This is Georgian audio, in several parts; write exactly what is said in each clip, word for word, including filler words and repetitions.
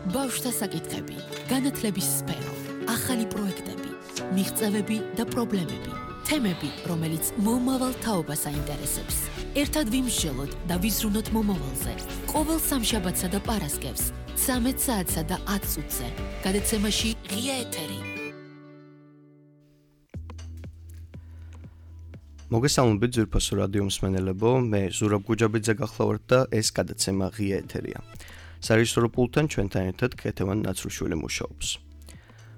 ბავშვთა საკითხები, განათლების სფერო, ახალი პროექტები, მიღწევები და პრობლემები, თემები, რომელიც მომავალ თაობას აინტერესებს. ერთად ვიმსჯელოთ და ვიზრუნოთ მომავალზე. ყოველ სამშაბათსა და პარასკევს, ცამეტ საათსა და ათ წუთზე. გადაცემაში ღია ეთერი. მოგესალმებით ძვირფასო რადიო მსმენელებო, მე ზურაბ გუჯაბიძე გახლავართ და ეს გადაცემა ღია ეთერია. სარეჟისორო პულტთან ჩვენთან ერთად ქეთევან ნაცრუშვილი მუშაობს.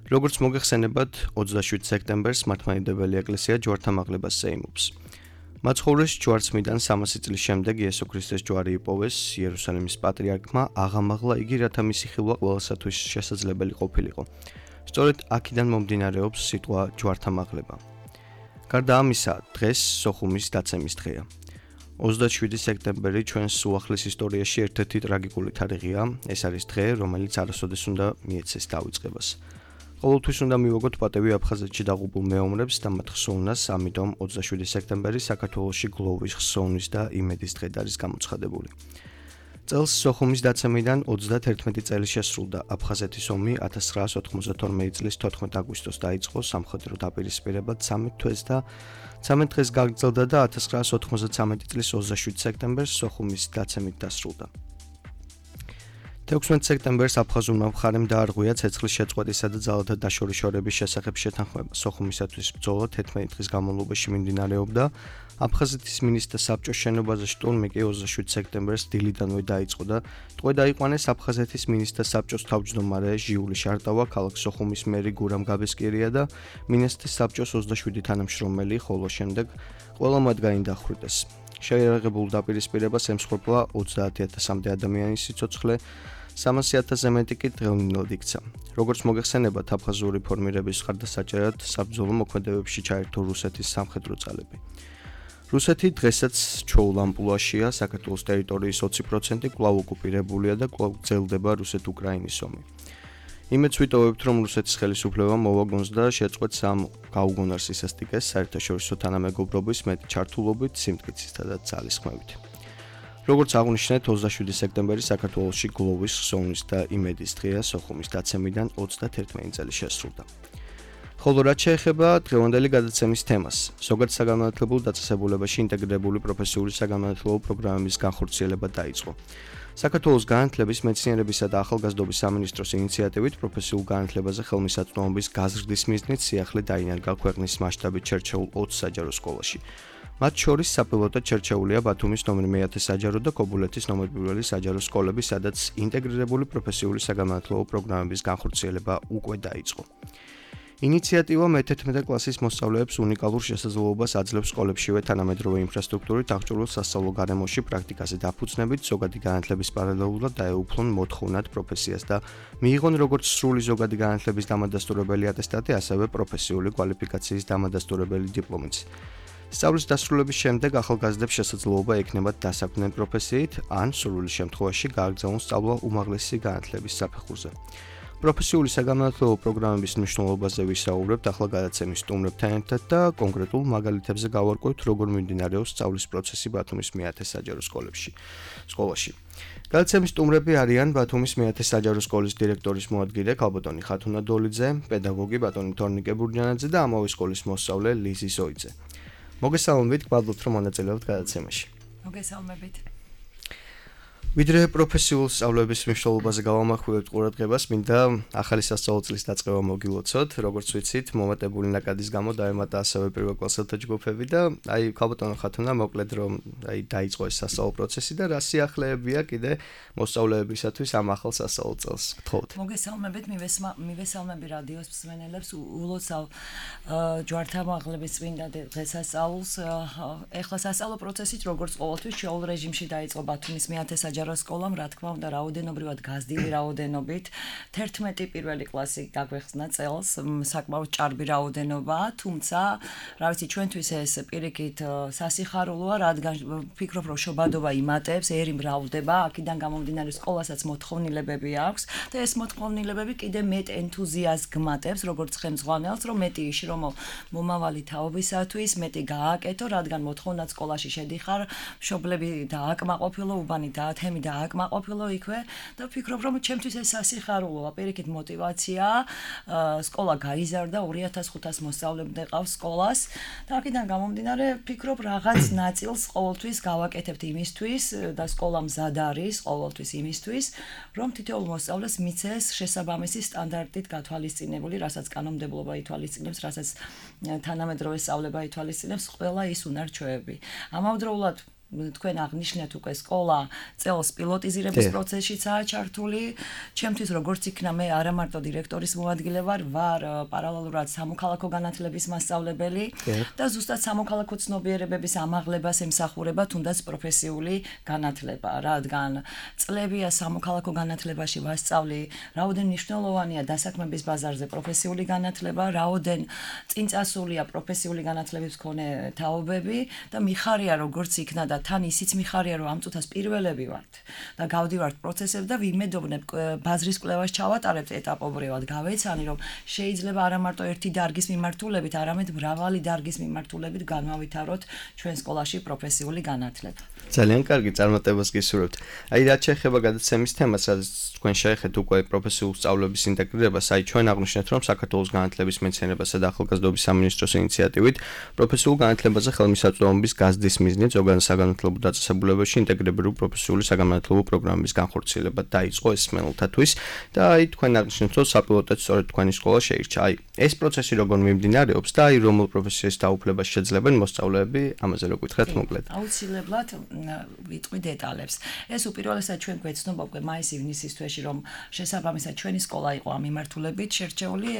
როგორც მოგეხსენებათ, ოცდაშვიდ სექტემბერს მართლმადიდებელი ეკლესია ჯვართამაღლებას ეიმობს. მაცხოვრეს ჯვარცმიდან სამასი წლის შემდეგ იესო ქრისტეს ჯვარი იპოვეს იერუსალიმის პატრიარქმა აღამაღლა იგი, რათა მისი ხილვა ყველასათვის შესაძლებელი ყოფილიყო. სწორედ აქედან მომდინარეობს სიტყვა ჯვართამაღლება. გარდა ამისა, დღეს სოხუმის დაცემის დღეა. ოცდაშვიდი სექტემბერი ჩვენს უახლის ისტორიაში ერთ-ერთი ტრაგიკული თარიღია. ეს არის დღე, რომელიც არასოდეს უნდა მიეცეს დავიწყებას. ყოველთვის უნდა მივაგოთ პატევი აფხაზეთში დაღუპულ მეომრებს და მათ ხსოვნას, ამიტომ ოცდაშვიდი სექტემბერი საქართველოში გლოვის, ხსოვნის და იმედის დღედ არის გამოცხადებული. წელს სოხუმის დაცემიდან ოცდათერთმეტი წელი შესრულდა. აფხაზეთის ომი ათას ცხრაას ოთხმოცდათორმეტი წლის თოთხმეტ აგვისტოს დაიწყო სამხედრო დაპირისპირებად ცამეტ თვეს და ცამეტ დღეს გაგრძელდა და ათას ცხრაას ოთხმოცდათრამეტი წლის ოცდაშვიდ სექტემბერს სოხუმის დაცემით დასრულდა. თექვსმეტ სექტემბერს აფხაზურმა მხარემ დაარღვია ცეცხლის შეწყვეტისა და ძალათა დაშორიშორების შესახებ შეთანხმება. სოხუმისათვის ბრძოლა თერთმეტი დღის განმავლობაში მიმდინარეობდა. აფხაზეთის მინისტრთა საბჭოს შენობაზე შტურმი კი ოცდაშვიდ სექტემბერს დილიდანვე დაიწყო და ტყვე დაიყვანეს აფხაზეთის მინისტრთა საბჭოს თავმჯდომარე ჟიული შარტავა, ქალაქ სოხუმის მერი გურამ გაბესკირია და მინისტრთა საბჭოს ოცდაშვიდი თანამშრომელი, ხოლო შემდეგ ყველა მათგანი დახვრიტეს. შეიარაღებულ დაპირისპირებას ემსხვერპლა ოცდაათი ათასამდე ადამიანის სიცოცხლე, სამასი ათასზე მეტი კი დღევნილად იქცა. როგორც მოგეხსენებათ, აფხაზური ფორმირების მხარდასაჭერად საბრძოლო მოქმედებებში ჩაერთო რუსეთის სამხედრო ძალები. რუსეთი დღესაც ჩვეულ ამპლუაშია, საქართველოს ტერიტორიის ოცი პროცენტი კვლავ ოკუპირებულია და კვლავ გრძელდება რუსეთ-უკრაინის ომი. იმედს ვიტოვებთ, რომ რუსეთის ხელისუფლებამ მოვაგონს და შეწყვეტს ამ გაუგონარ სისასტიკეს საერთაშორისო თანამეგობრობის მეტი ჩართულობით, სიმტკიცისა და ძალისხმევით. როგორც აღვნიშნეთ, ოცდაშვიდი სექტემბერი საქართველოში გლოვის, ხსოვნის და იმედის დღეა. სოხუმის დაცემიდან ოცდათერთმეტი წელი შესრულდა. ხოლო რაც შეეხება დღევანდელი გადაცემის თემას, ზოგადად საგანმანათლებლო დაწესებულებაში ინტეგრირებული პროფესიული საგანმანათლებლო პროგრამების განხორციელება დაიწყო. საქართველოს განათლების, მეცნიერებისა და ახალგაზრდობის სამინისტროს ინიციატივით პროფესიულ განათლებაზე ხელმისაწვდომობის გაზრდის მიზნით სიახლე დაინერგა ქვეყნის მასშტაბით შერჩეულ ოც საჯარო სკოლაში. მათ შორის საპილოტოდ შერჩეულია ბათუმის ნომერ მეათე საჯარო და კობულეთის ნომერ პირველი საჯარო სკოლები, სადაც ინტეგრირებული პროფესიული საგანმანათლებლო პროგრამების განხორციელება უკვე დაიწყო. ინიციატივა მეთერთმეტე კლასის მოსწავლეებს უნიკალურ შესაძლებლობას აძლევს სკოლებშივე თანამედროვე ინფრასტრუქტურით აღჭურვილ სასწავლო გარემოში პრაქტიკაზე დაფუძნებით, ზოგადი განათლების პარალელურად დაეუფლონ მოთხოვნად პროფესიას და მიიღონ როგორც სრული ზოგადი განათლების დამადასტურებელი ატესტატი, ასევე პროფესიული კვალიფიკაციის დამადასტურებელი დიპლომიც. სწავლის დასრულების შემდეგ ახალგაზრდებს შესაძლებლობა ექნებათ დასაქმდნენ პროფესიით, ან სრული შემთხვევაში გააგრძელონ სწავლა უმაღლესი განათლების საფეხურზე. პროფესიული საგანმანათლებლო პროგრამების მნიშვნელობაზე ვისაუბრებთ ახლა გადაცემის სტუმრებთან ერთად და კონკრეტულ მაგალითებზე გავარკვევთ, როგორ მიმდინარეობს სწავლის პროცესი ბათუმის მეათე საჯარო სკოლებში. სკოლაში. გადაცემის სტუმრები არიან ბათუმის მეათე საჯარო სკოლის დირექტორის მოადგილე ქალბატონი ხათუნა დოლიძე, პედაგოგი ბატონი თორნიკე ბურჯანაძე და ამავე სკოლის მოსწავლე ლიზი ზოიძე. მოგესალმებით, გვალბობთ, რომ მონაწილეობთ გადაცემაში. მოგესალმებით. ვიდრე პროფესიულ სწავლების მნიშვნელობაზე გავამახვილებთ ყურადღებას, მინდა ახალი სასწავლო წლის დაწყება მოგილოცოთ. როგორც ვიცით, მომატებული ნაკადის გამო დაემატა ასევე პირველ კლასელთა ჯგუფები და აი ქალბატონო ხათუნა მოკლედ რომ აი დაიწყო ეს სასწავლო პროცესი და რა სიახლეებია კიდე მოსწავლეებისათვის ამ ახალ სასწავლო წელს. გთხოვთ. მოგესალმებით, მივესალმები რადიოს მსმენელებს, ულოცავ ჯვართამაღლების წმინდა დღესასწაულს. ეხლა სასწავლო პროცესით როგორც ყოველთვის შეულ რეჟიმში დაიწყო ბათუმის მეათე საჯარო სკოლამ, რა თქმა უნდა, რაოდენობრივად გაზრდილი რაოდენობით. თერთმეტი პირველი კლასი დაგვეხსნა წელს, საკმაოდ ჭარბი რაოდენობაა, თუმცა, რა ვიცი, ჩვენთვის ეს პირიქით სასიხარულოა, რადგან ვფიქრობ, რომ შობადობა იმატებს, ერი მრავლდება, აქედან გამომდინარე სკოლასაც მოთხოვნილებები აქვს და ეს მოთხოვნილებები კიდე მეტ ენთუზიაზმს გმატებს, როგორც ხელმძღვანელს, რომ მეტი იშრომო მომავალი თაობისათვის, მეტი გააკეთო, რადგან მოთხოვნად სკოლაში შედიხარ, მშობლები დააკმაყოფილო, უბანი დაათმო თემი და აკმაყოფილო იქვე და ვფიქრობ რომ ჩემთვის ეს სასიხარულოა, პირიქით мотиваცია, სკოლა გაიზარდა, ორი ათას ხუთას მოსწავლემდე ყავს სკოლას და აქედან გამომდინარე ვფიქრობ რაღაც ნაწილს ყოველთვის გავაკეთებთ იმისთვის და სკოლა მზად არის ყოველთვის იმისთვის, რომ თითოეულ მოსწავლეს მიცეს შესაბამისი სტანდარტით გათვალისწინებული, რასაც კანონმდებლობა ითვალისწინებს, რასაც თანამედროვე სწავლება ითვალისწინებს, ყველა ის უნარჩვევები. ამავდროულად თქვენ აღნიშნეთ უკვე სკოლა წელს პილოტიზირების პროცესშიცაა ჩართული. ჩემთვის როგორც იქნა მე არა მარტო დირექტორის მოადგილე ვარ, ვარ პარალელურად სამოქალაქო განათლების მასწავლებელი და ზუსტად სამოქალაქო ცნობიერებების ამაღლებას ემსახურება თუნდაც პროფესიული განათლება, რადგან წლებია სამოქალაქო განათლებაში ვასწავლი, რაოდენ მნიშვნელოვანია დასაქმების ბაზარზე პროფესიული განათლება, რაოდენ წინწასულია პროფესიული განათლების მქონე თაობები და მიხარია როგორც იქნა და თან ისიც მიხარია რომ ამ წუთას პირველები ვართ და გავდივართ პროცესებს და ვიმედოვნებ ბაზრის კვლევას ჩავატარებთ ეტაპობრივად, გავეცანი რომ შეიძლება არა მარტო ერთი დარგის მიმართულებით, არამედ მრავალი დარგის მიმართულებით განვავითაროთ ჩვენ სკოლაში პროფესიული განათლება. ძალიან კარგი წარმატებას გისურვებთ. აი რაც შეეხება გადაცემის თემას, რაც თქვენ შეეხეთ უკვე პროფესიულ სწავლების ინტეგრირებას, აი ჩვენ აღნიშნეთ რომ საქართველოს განათლების მეცნიერებასა და ახალგაზრდობის სამინისტროს ინიციატივით პროფესიულ განათლებაზე ხელმისაწვდომობის გაზრდის მიზნით ზოგადად საგანმანათლებლო დაწესებულებებში ინტეგრირებული პროფესიული საგანმანათლებლო პროგრამების განხორციელება დაიწყო ესმენელთათვის და აი თქვენ აღნიშნეთ რომ საპილოტოდ სწორედ თქვენი სკოლა შეირჩა. აი ეს პროცესი როგორ მიმდინარეობს და აი რომელ პროფესიას დაუფლებას შეძლებენ მოსწავლეები, ამაზე რო გითხრათ მოკლედ. აუცილებლად ვიტყვი დეტალებს. ეს უპირველესად ჩვენ გვეცნობა უკვე მაის-ივნისის თვეში რომ შესაბამისად ჩვენი სკოლა იყო ამ მიმართულებით შერჩეული.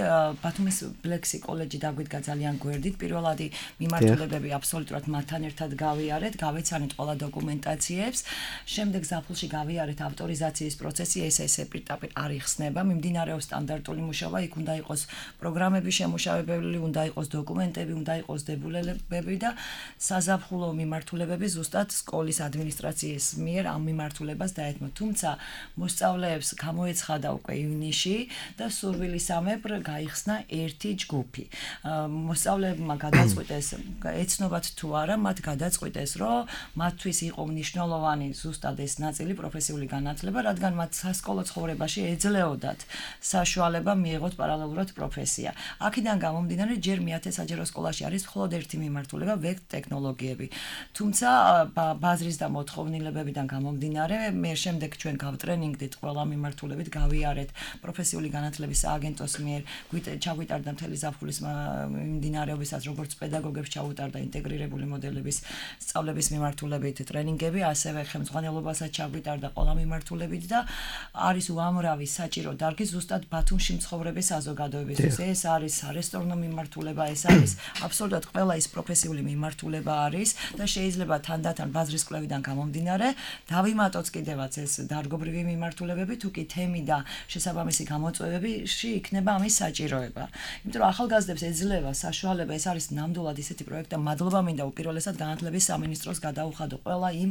ბათუმის ბლექსი კოლეჯი დაგვიდგა ძალიან გვერდით. პირველადი მიმართულებები აბსოლუტურად მათთან ერთად გავიარეთ, გავეცანით ყველა დოკუმენტაციებს. შემდეგ ზაფხულში გავიარეთ ავტორიზაციის პროცესი, ეს ესე პირდაპირ არ იხსნება, მიმდინარეობს სტანდარტული მუშაობა, იქ უნდა იყოს პროგრამები შემუშავებელი, უნდა იყოს დოკუმენტები, უნდა იყოს დებულებები და საზაფხულო მიმართულებები ზუსტად სკოლის ადმინისტრაციის მიერ ამ მიმართულებას დაეთმო. თუმცა მოსწავლეებს გამოეცხადა უკვე ივნისში და სურვილისამებრ გაიხსნა ერთი ჯგუფი. მოსწავლეებმა გადაწყვიტეს, ეცნობათ თუ არა, მათ გადაწყვიტეს, რომ მათთვის იყო მნიშვნელოვანი ზუსტად ეს ნაწილი პროფესიული განათლება, რადგან მათ სასკოლო ცხოვრებაში ეძლეოდათ საშუალება მიიღოთ პარალელურად პროფესია. აქედან გამომდინარე, ჯერ მეათე საჯარო სკოლაში არის მხოლოდ ერთი მიმართულება, ვექტ ტექნოლოგიები. თუმცა ბაზრის და მოთხოვნილებებიდან გამომდინარე, მე შემდეგ ჩვენ გავტრენინგდით ყველა მიმართულებით, გავიარეთ პროფესიული განათლების სააგენტოს მიერ, ჩაგვიტარდა მთელი ზაფხულის მიმდინარეობისას, როგორც პედაგოგებს ჩაუტარდა ინტეგრირებული მოდელების სწავლების მიმართულებით ტრენინგები, ასევე ხელმძღვანელობასაც ჩაგვიტარდა ყველა მიმართულებით და არის უამრავი საჭირო დარგი ზუსტად ბათუმში მცხოვრების საზოგადოებისთვის. ეს არის არესტორნო მიმართულება, ეს არის აბსოლუტურად ყველა ის პროფესიული მიმართულება არის და შეიძლება თანდათან ბაზრის კვლევიდან გამომდინარე დავიმატოთ კიდევაც ეს დარგობრივი მიმართულებები, თუ კი თემი და შესაბამისი გამოწვევებში იქნება ამის საჭიროება. იმიტომ რომ ახალგაზრდებს ეძლევა საშუალება, ეს არის ნამდვილად ისეთი პროექტი და მადლობა მინდა უპირველესად განათლების სამინისტროს გადაუხადო ყველა იმ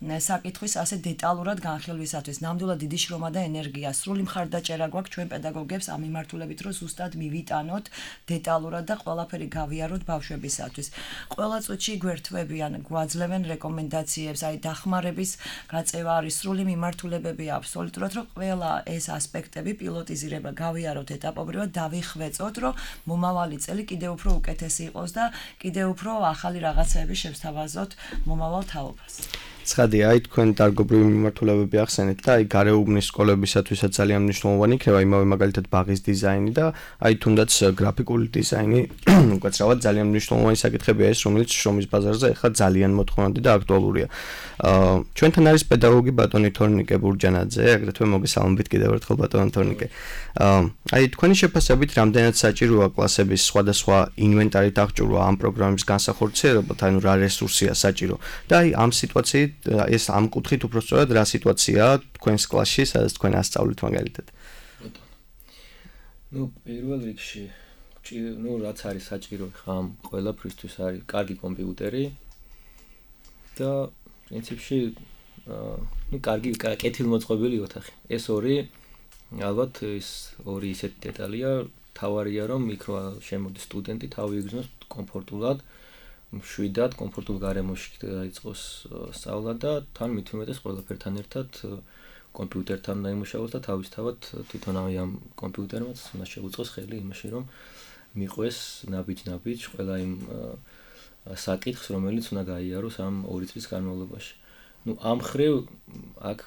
საკითხვის ასე დეტალურად განხილვისათვის. ნამდვილად დიდი შრომა და ენერგია, სრული მხარდაჭერა გვაქვს ჩვენ პედაგოგებს ამ მიმართულებით, რომ ზუსტად მივიტანოთ დეტალურად და ყველაფერი გავიაროთ ბავშვებისათვის. ყველა წუთში გვერთვებიან, გვაძლევენ რეკომენდაციებს, აი დახმარების გაწევა არის, სრული მიმართულებები აბსოლუტურად, რომ ყველა ეს ასპექტები პილოტიზირება გავიაროთ ეტაპობრივად, დავიხვეწოთ, რომ მომავალი წელი კიდევ უფრო უკეთესი იყოს და კიდევ უფრო ახალი რაღაცები შევსთავაზოთ მომავალ თაობას. ცხადია, აი თქვენ დარგობრივი მიმართულებები ახსენეთ და აი გარეუბნის სკოლებისათვისაც ძალიან მნიშვნელოვანი იქნება იმავე მაგალითად ბაღის დიზაინი და აი თუნდაც გრაფიკული დიზაინი, უკაცრავად ძალიან მნიშვნელოვანი საკითხებია ეს, რომელიც შრომის ბაზარზე ახლა ძალიან მოთხოვნადი და აქტუალურია. აა ჩვენთან არის პედაგოგი ბატონი თორნიკე ბურჯანაძე, აგრეთვე მოგესალმებით კიდევ ერთხელ ბატონი თორნიკე. აა აი თქვენი შეფასებით რამდენად საჭიროა კლასების სხვადასხვა ინვენტარით აღჭურვა ამ პროგრამის განსახორციელებლად, ანუ რა რესურსია საჭირო და აი ამ სიტუაციით ეს ამ კუთხით უფრო სწორად რა სიტუაციაა თქვენს კლასში, სადაც თქვენ ასწავლით მაგალითად. ნუ პირველ რიგში, ნუ რაც არის საჭირო ხა ამ ყველაფრისთვის არის კარგი კომპიუტერი და პრინციპში ნუ კარგი კეთილმოწყობილი ოთახი. ეს ორი ალბათ ეს ორი ისეთი დეტალია, თავარია რომ იქ რა შემოდის სტუდენტი თავი იგრძნოს კომფორტულად მშვიდად კომფორტულ გარემოში დაიწყოს სწავლა და თან მით უმეტეს ყველაფერთან ერთად კომპიუტერთან დაიმუშავოს და თავისთავად თვითონ ამ კომპიუტერმაც უნდა შეუწყოს ხელი იმაში რომ მიყვეს ნაბიჯ-ნაბიჯ ყველა იმ საკითხს რომელიც უნდა გაიაროს ამ ორი წლის განმავლობაში. ნუ ამ ხრივ აქ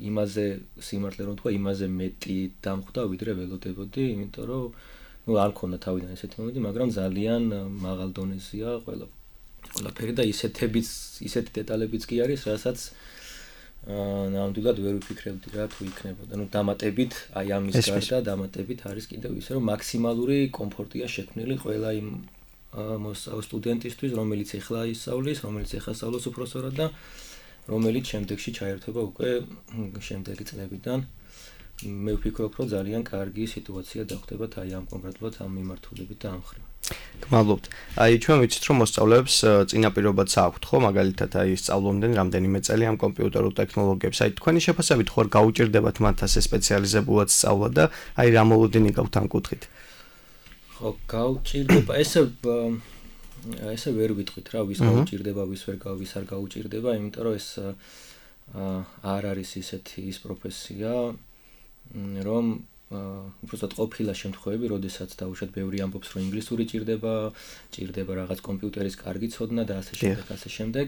იმაზე სიმართლე რომ თქვა იმაზე მეტი დამხვდა ვიდრე ველოდებოდი, იმიტომ რომ ნუ არ მქონდა თავიდან ესეთი მომენტი, მაგრამ ძალიან მაღალ დონეზეა ყველა ყველაფერი და ისეთებიც ისეთი დეტალებიც კი არის, რასაც აა ნამდვილად ვერ ვიფიქრებდი რა თუ იქნებოდა. ნუ დამატებით აი ამის გარდა დამატებით არის კიდევ ისე რომ მაქსიმალური კომფორტია შექმნილი ყველა იმ მოსწავლე სტუდენტისთვის, რომელიც ეხლა ისწავლის, რომელიც ეხლა სწავლობს უпроსორად და რომელიც შემდეგში ჩაერთვება უკვე შემდეგი წლებიდან. მე ვფიქრობ, რომ ძალიან კარგი სიტუაცია დახვდებათ აი ამ კონკრეტულად ამ მიმართულებით და ამ ხრივ. გმადლობთ. აი ჩვენ ვიცით რომ მოსწავლეებს წინაპირობაც აქვთ ხო, მაგალითად აი სწავლობდნენ რამდენიმე წელი ამ კომპიუტერულ ტექნოლოგიებს. აი თქვენი შეფასებით ხო არ გაუჭირდებათ მათ ასე სპეციალიზებულად სწავლა და აი რა მოლოდინი გაქვთ ამ კუთხით? ხო, გაუჭირდება. ესე ესე ვერ ვიტყვით რა, ვის გაუჭირდება, ვის ვერ გავის არ გაუჭირდება, იმიტომ რომ ეს არ არის ისეთი ის პროფესია, რომ უბრალოდ ყოფილა შემთხვევები, როდესაც დაუშვათ ბევრი ამბობს, რომ ინგლისური ჭირდება, ჭირდება რაღაც კომპიუტერის კარგი ცოდნა და ასე შემდეგ, ასე შემდეგ.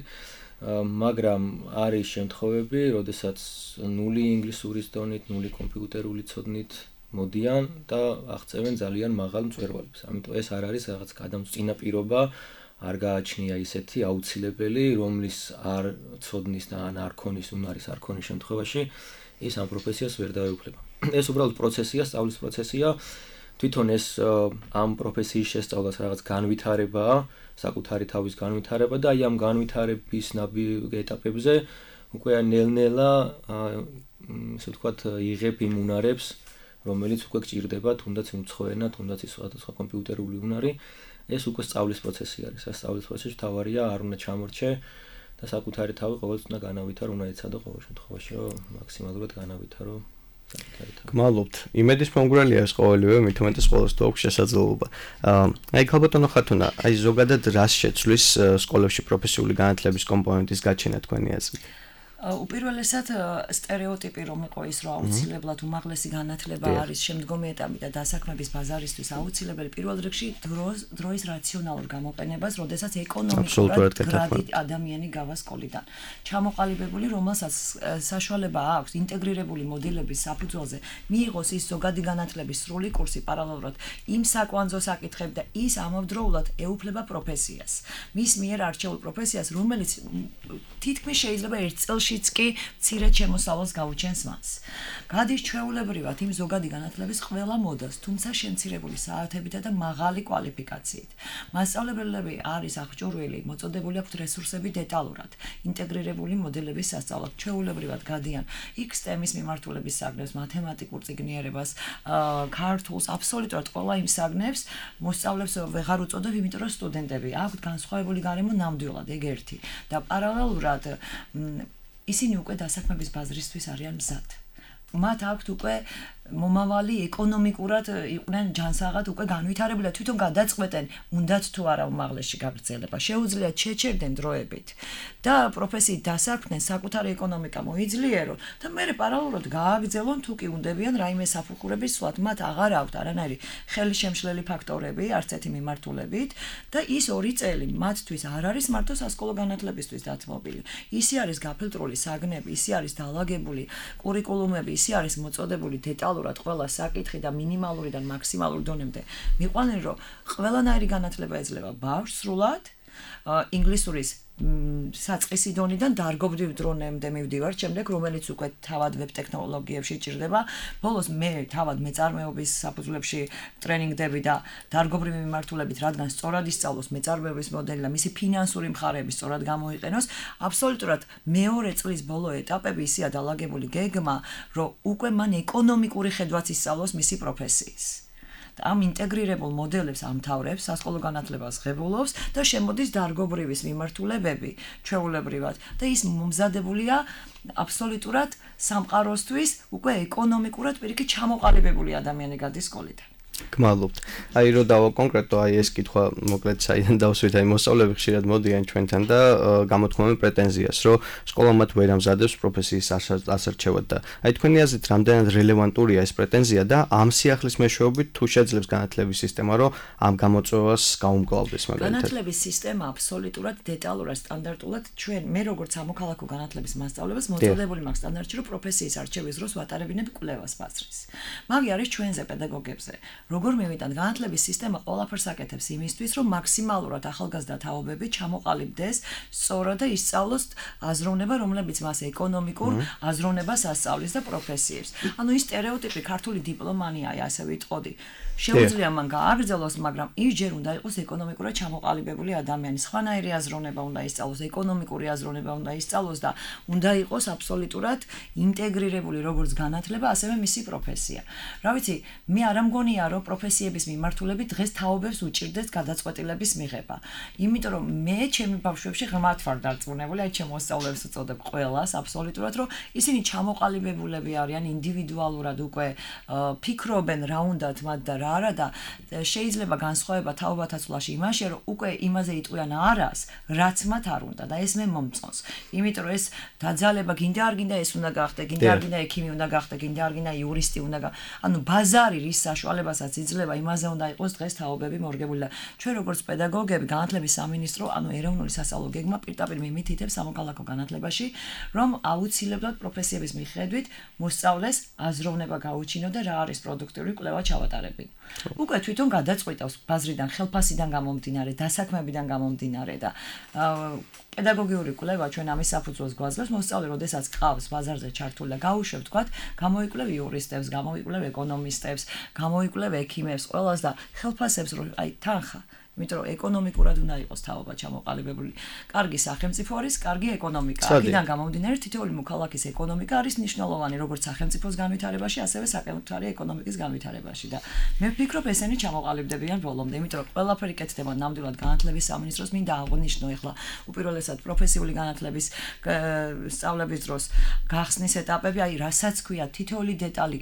მაგრამ არის შემთხვევები, როდესაც ნული ინგლისურის დონით, ნული კომპიუტერული ცოდნით მოდიან და აღწევენ ძალიან მაღალ მწვერვალებს. ამიტომ ეს არ არის რაღაც გადამწყვეტი პირობა, არ გააჩნია ისეთი აუცილებელი, რომლის არ ცოდნის და ან არ ქონის, უნარის არ ქონის შემთხვევაში ის ამ პროფესიას ვერ დაეუფლება. ეს უბრალოდ პროცესია, სწავლის პროცესია. თვითონ ეს ამ პროფესიის შესწავლას რაღაც განვითარებაა, საკუთარი თავის განვითარება და აი ამ განვითარების ეტაპებზე უკვე ნელ-ნელა ესე ვთქვათ იღებ იმ უნარებს, რომელიც უკვე გჭირდება, თუნდაც უცხოენა, თუნდაც ის სხვადასხვა კომპიუტერული უნარი, ეს უკვე სწავლის პროცესი არის. ეს სწავლის პროცესში თავარია არ უნდა ჩამორჩე და საკუთარი თავი ყოველთვის უნდა განავითარო, უნდა ეცადო ყოველ შემთხვევაში, რომ მაქსიმალურად განავითარო საკუთარი თავი. გმადლობთ. იმედის მომგვრალია ეს ყოველივე, მით უმეტეს ყოველს თუ აქვს შესაძლებლობა. აი ქალბატონო ხათუნა, აი ზოგადად რას შეცვლის სკოლებში პროფესიული განათლების კომპონენტის გაჩენა თქვენი აზრით? უპირველესად სტერეოტიპი რომ იყო ის რომ აუცილებლად უმაღლესი განათლება არის შემდგომი ეტაპი და დასაქმების ბაზარისთვის აუცილებელი პირველ რიგში დროის რაციონალურ გამოყენებას, როდესაც ეკონომიკურად გრადით ადამიანი გავა სკოლიდან. ჩამოყალიბებული, რომელსაც საშუალება აქვს ინტეგრირებული მოდელების საფუძველზე მიიღოს ის ზოგადი განათლების სრული კურსი პარალელურად იმ საკვანძო საკითხები და ის ამავდროულად ეუფლება პროფესიას. მის მიერ არჩეულ პროფესიას, რომელიც თითქმის შეიძლება ერთ წელშიც კი მცირედ შემოსავალს გაუჩენს მას. გადის ჩვეულებრივად იმ ზოგადი განათლების ყველა მოდელს, თუმცა შემცირებული საათებითა და მაღალი კვალიფიკაციით. მასწავლებლები არის აღჭურვილი, მოწოდებული აქვთ რესურსები დეტალურად, ინტეგრირებული მოდელების სასწავლად. ჩვეულებრივად გადიან იქს თემის მიმართულების საგნებს, მათემატიკურ წიგნიერებას, ქართულს, აბსოლუტურად ყველა იმ საგნებს მოსწავლებს ვეღარ უწოდებ, იმიტომ რომ სტუდენტები აქვთ განსხვავებული გარემო ნამდვილად, ეგ ერთი. და პარალელურად ისინი უკვე დასაქმების ბაზრისთვის არიან მზად. მათ აქვთ უკვე მომავალი ეკონომიკურად იყვნენ ჯანსაღად უკვე განვითარებული და თვითონ გადაწყვეტენ უნდათ თუ არა უმაღლესში გაგრძელება. შეუძლიათ შეჩერდნენ დროებით და პროფესიით დასაქმდნენ, საკუთარი ეკონომიკა მოიძლიერონ და მერე პარალელურად გააგრძელონ თუ კი უნდებიან რაიმე საფუხურების სვლად. მათ აღარ აქვთ არანაირი ხელშემშლელი ფაქტორები, არც ერთი მიმართულებით და ის ორი წელი მათთვის არ არის მარტო სასკოლო განათლებისთვის დათმობილი. ისი არის გაფილტრული საგნები, ისი არის დაალაგებული კურიკულუმები, ისი არის მოწოდებული დეტალურად ყველა საკითხი და მინიმალურიდან მაქსიმალურ დონემდე მიყვანენ, რომ ყველანაირი განათლება ეძლევა ბავშვს სრულად, ინგლისურის საწყისი დონიდან დარგობრივ დრონემდე მივდივართ, შემდეგ რომელიც უკვე თავად ვებ ტექნოლოგიებში ჭირდება. ბოლოს მე თავად მეწარმეობის საფუძვლებში ტრენინგდები და დარგობრივი მიმართულებით, რადგან სწორად ისწავლოს მეწარმეობის მოდელი და მისი ფინანსური მხარეები სწორად გამოიყენოს, აბსოლუტურად მეორე წლის ბოლო ეტაპები ისეა დაალაგებული გეგმა, რომ უკვე მან ეკონომიკური ხედვაც ისწავლოს მისი პროფესიის. ამ ინტეგრირებულ მოდელებს ამთავრებს, სასკოლო განათლებას ღებულობს და შემოდის დარგობრივის მიმართულებები ჩვეულებრივად და ის მომზადებულია აბსოლუტურად სამყაროსთვის უკვე ეკონომიკურად პირიქით ჩამოყალიბებული ადამიანი გადის სკოლიდან. გმადლობთ. აი რო დავა კონკრეტო აი ეს კითხვა მოკლედ საიდან დავსვით აი მოსწავლეები ხშირად მოდიან ჩვენთან და გამოთქვამენ პრეტენზიას, რომ სკოლა მათ ვერ ამზადებს პროფესიის ასარჩევად და აი თქვენი აზრით რამდენად რელევანტურია ეს პრეტენზია და ამ სიახლის მეშვეობით თუ შეძლებს განათლების სისტემა, რომ ამ გამოწვევას გაუმკლავდეს მაგალითად. განათლების სისტემა აბსოლუტურად დეტალურად, სტანდარტულად ჩვენ მე როგორც ამოქალაქო განათლების მასწავლებლებს მოწოდებული მაქვს სტანდარტში, რომ პროფესიის არჩევის დროს ვატარებინებ კვლევას ბაზრის. მაგი არის ჩვენზე პედაგოგებზე. როგორ მივიტანთ განათლების სისტემა ყველაფერს აკეთებს იმისთვის, რომ მაქსიმალურად ახალგაზრდა თაობები ჩამოყალიბდეს სწორად და ისწავლოს აზროვნება, რომლებიც მას ეკონომიკურ აზროვნებას ასწავლის და პროფესიებს. ანუ ის სტერეოტიპი ქართული დიპლომანია, ასე ვიტყოდი. შეუძლია მან გააგრძელოს, მაგრამ ის ჯერ უნდა იყოს ეკონომიკურად ჩამოყალიბებული ადამიანი. სხვანაირი აზროვნება უნდა ისწავლოს, ეკონომიკური აზროვნება უნდა ისწავლოს და უნდა იყოს აბსოლუტურად ინტეგრირებული როგორც განათლება, ასევე მისი პროფესია. რა ვიცი, მე არ ამგონია, რომ პროფესიების მიმართულებით დღეს თაობებს უჭირდეს გადაწყვეტილების მიღება. იმიტომ რომ მე ჩემი ბავშვებში ღრმად ვარ დარწმუნებული, აი ჩემ მოსწავლეებს უწოდებ ყველას აბსოლუტურად, რომ ისინი ჩამოყალიბებულები არიან ინდივიდუალურად უკვე ფიქრობენ რა უნდათ მათ და რა არა და შეიძლება განსხვავება თაობათა ცვლაში იმაშია, რომ უკვე იმაზე იტყვიან არას, რაც მათ არ უნდა და ეს მე მომწონს. იმიტომ რომ ეს დაძალება გინდა არ გინდა ეს უნდა გახდე, გინდა არ გინდა ექიმი უნდა გახდე, გინდა არ გინდა იურისტი უნდა გა. ანუ ბაზარი რის საშუალებასაც იძლევა, იმაზე უნდა იყოს დღეს თაობები მორგებული და ჩვენ როგორც პედაგოგები, განათლების სამინისტრო, ანუ ეროვნული სასწავლო გეგმა პირდაპირ მიმითითებს სამოქალაქო განათლებაში, რომ აუცილებლად პროფესიების მიხედვით მოსწავლეს აზროვნება გაუჩინო და რა არის პროდუქტიული კვლევა ჩავატარებინ. უკვე თვითონ გადაწყვეტავს ბაზრიდან, ხელფასიდან გამომდინარე, დასაქმებიდან გამომდინარე და პედაგოგიური კვლევა ჩვენ ამის საფუძველს გვაძლევს, მოსწავლე როდესაც ყავს ბაზარზე ჩართული და გაუშვებ, თქვათ, გამოიკვლევ იურისტებს, გამოიკვლევ ეკონომისტებს, გამოიკვლევ ექიმებს, ყველას და ხელფასებს რომ აი თანხა იმიტომ რომ ეკონომიკურად უნდა იყოს თაობა ჩამოყალიბებული. კარგი სახელმწიფო არის, კარგი ეკონომიკა. აქედან გამომდინარე თითოეული მოქალაქის ეკონომიკა არის მნიშვნელოვანი როგორც სახელმწიფოს განვითარებაში, ასევე საკუთარი ეკონომიკის განვითარებაში და მე ვფიქრობ ესენი ჩამოყალიბდებიან ბოლომდე, იმიტომ რომ ყველაფერი კეთდება ნამდვილად განათლების სამინისტროს მინდა აღვნიშნო ახლა უპირველესად პროფესიული განათლების სწავლების დროს გახსნის ეტაპები, აი რასაც ქვია თითოეული დეტალი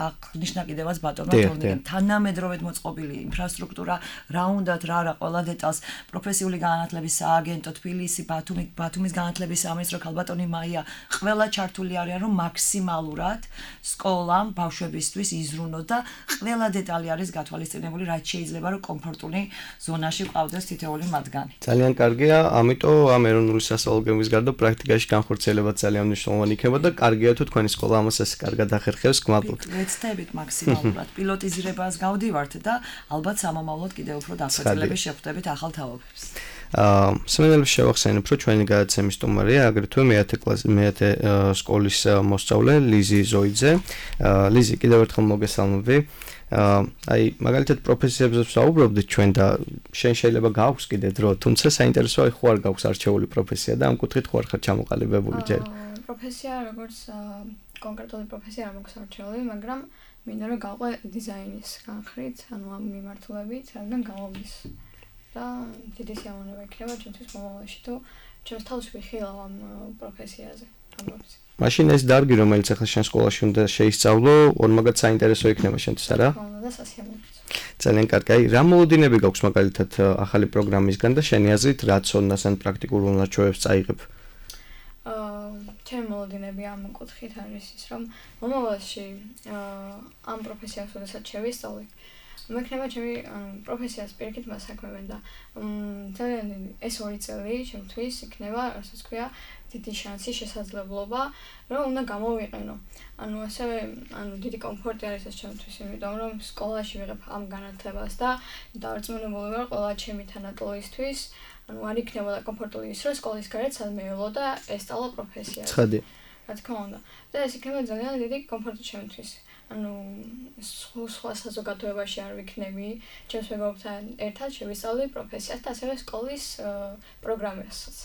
აღნიშნა კიდევაც ბატონმა თორნიკემ, თანამედროვედ მოწყობილი ინფრასტრუქტურა, რა რა არა ყველა დეტალს პროფესიული განათლების სააგენტო თბილისი, ბათუმი, ბათუმის განათლების სამინისტრო, ქალბატონი მაია, ყველა ჩართული არიან, რომ მაქსიმალურად სკოლამ ბავშვებისთვის იზრუნოს და ყველა დეტალი არის გათვალისწინებული, რაც შეიძლება რომ კომფორტული ზონაში ყავდეს თითოეული მათგანი. ძალიან კარგია, ამიტომ ამ ეროვნული სასწავლო გეგმის გარდა პრაქტიკაში განხორციელება ძალიან მნიშვნელოვანი იქნება და კარგია თუ თქვენი სკოლა ამას ასე კარგად ახერხებს, გმადლობთ. ვეცდებით მაქსიმალურად პილოტიზირებას გავდივართ და ალბათ სამომავლოდ კიდევ უფრო დასაწყისების შეხვდებით ახალ თაობებს. აა სმენელებს შევახსენებ, რომ ჩვენი გადაცემის სტუმარია აგრეთვე მეათე კლასის მეათე სკოლის მოსწავლე ლიზი ზოიძე. აა ლიზი, კიდევ ერთხელ მოგესალმები. აა აი მაგალითად პროფესიებზე ვსაუბრობდით ჩვენ და შენ შეიძლება გაქვს კიდე დრო, თუმცა საინტერესოა ხო არ გაქვს არჩეული პროფესია და ამ კუთხით ხო არ ხარ ჩამოყალიბებული ჯერ? პროფესია როგორც კონკრეტული პროფესია არ მაქვს არჩეული, მაგრამ მინდა რომ გავყვე დიზაინის განხრით, ანუ ამ მიმართულებით, რადგან გამომდის. და დიდი სიამოვნება იქნება ჩემთვის მომავალში თუ ჩემს თავს ვიხილავ ამ პროფესიაზე, ამ პროფესიაზე. მაშინ ეს დარგი, რომელიც ახლა შენ სკოლაში უნდა შეისწავლო, ორმაგად საინტერესო იქნება შენთვის, არა? ხო, და სასიამოვნოა. ძალიან კარგი. აი, რა მოლოდინები გაქვს მაგალითად ახალი პროგრამისგან და შენი აზრით რა ცოდნას ან პრაქტიკულ უნარჩვევებს წაიღებ? აა, ჩემი მოლოდინები ამ კუთხით არის ის, რომ მომავალში ამ პროფესიას როდესაც შევისწავლე, მექნება ჩემი პროფესიას პირიქით მასაქმებენ და ძალიან ეს ორი წელი ჩემთვის იქნება, რასაც ქვია, დიდი შანსი, შესაძლებლობა, რომ უნდა გამოვიყენო. ანუ ასევე, ანუ დიდი კომფორტი არის ეს ჩემთვის, იმიტომ რომ სკოლაში ვიღებ ამ განათლებას და დარწმუნებული ვარ ყველა ჩემი თანატოლისთვის, ანუ არ იქნებოდა კომფორტული ის, რომ სკოლის გარეთ სადმეველო და ესწავლა პროფესიას. ცხადი. რა თქმა უნდა. და ეს იქნება ძალიან დიდი კომფორტი ჩემთვის. ანუ სხვა საზოგადოებაში არ ვიქნები, ჩემს მეგობრებთან ერთად შევისწავლე პროფესიას და ასევე სკოლის პროგრამასაც.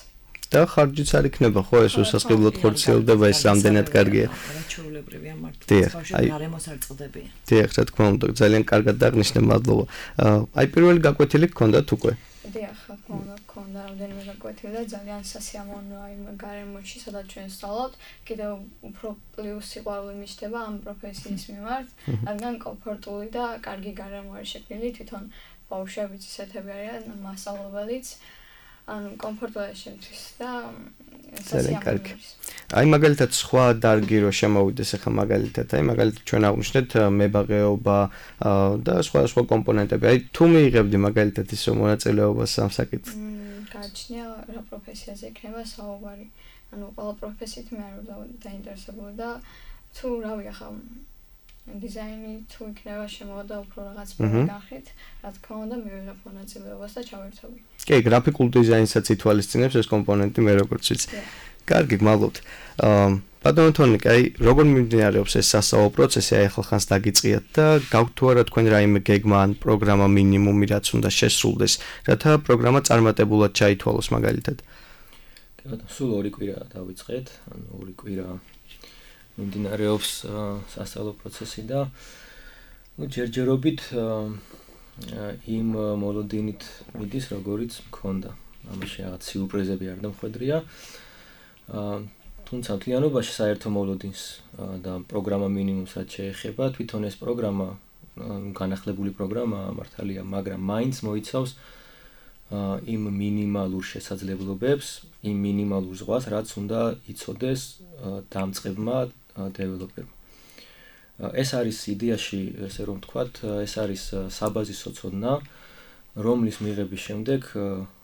და ხარჯიც არ იქნება, ხო, ეს უსასყიდლოდ ხორციელდება, ეს რამდენად კარგია. ჩვეულებრივია მართლა. აი, გარემოს არ წდებია. დიახ, რა თქმა უნდა, ძალიან კარგად დაღნიშნე, მადლობა. აი, პირველი გაკვეთილი გქონდათ უკვე? დიახ, ხონდა, ხონდა რამდენიმე გაკვეთილი და ძალიან სასიამოვნოა იმ გარემოში, სადაც ჩვენ ვსწავლობთ, კიდევ უფრო პლუს სიყვარული მიჩნდება ამ პროფესიის მიმართ, რადგან კომფორტული და კარგი გარემო არის შექმნილი, თვითონ ბავშვებიც ისეთები არიან, მასწავლებელიც, ანუ კომფორტულია შემთვის და სასიამოვნოა. აი მაგალითად სხვა დარგი რო შემოვიდეს ახლა მაგალითად, აი მაგალითად ჩვენ აღვნიშნეთ მებაღეობა და სხვა სხვა კომპონენტები. აი თუ მიიღებდი მაგალითად ისო მონაწილეობას ამ საკითხს. გაჩნია რა პროფესიაზე იქნება საუბარი. ანუ ყველა პროფესიით მე არ ვარ დაინტერესებული და თუ რავი ახლა დიზაინი თუ იქნება შემოვიდა უფრო რაღაც განხრით, რა თქმა უნდა მივიღებ მონაწილეობას და ჩავერთობი. კი, გრაფიკულ დიზაინსაც ითვალისწინებს ეს კომპონენტი მე როგორც ვიცი. კარგი, გმალობთ. აა ბატონო თონიკა, აი როგორ მიმდინარეობს ეს სასწავლო პროცესი, აი ახლა ხანს დაგიწყიათ და გაქვთ თუ არა თქვენ რაიმე გეგმა ან პროგრამა მინიმუმი რაც უნდა შესრულდეს, რათა პროგრამა წარმატებულად ჩაითვალოს მაგალითად. კი ბატონო, სულ ორი კვირა დავიწყეთ, ანუ ორი კვირა მიმდინარეობს სასწავლო პროცესი და ну ჯერჯერობით იმ მოლოდინით მიდის, როგორიც მქონდა. ამაში რაღაც სიურპრიზები არ დამხვედრია. თუმცა მთლიანობაში საერთო მოლოდინს და პროგრამა მინიმუმს რაც შეეხება, თვითონ ეს პროგრამა, განახლებული პროგრამაა მართალია, მაგრამ მაინც მოიცავს იმ მინიმალურ შესაძლებლობებს, იმ მინიმალურ ზღვას, რაც უნდა იცოდეს დამწყებმა დეველოპერმა. ეს არის იდეაში, ესე რომ ვთქვათ, ეს არის საბაზისო ცოდნა, რომლის მიღების შემდეგ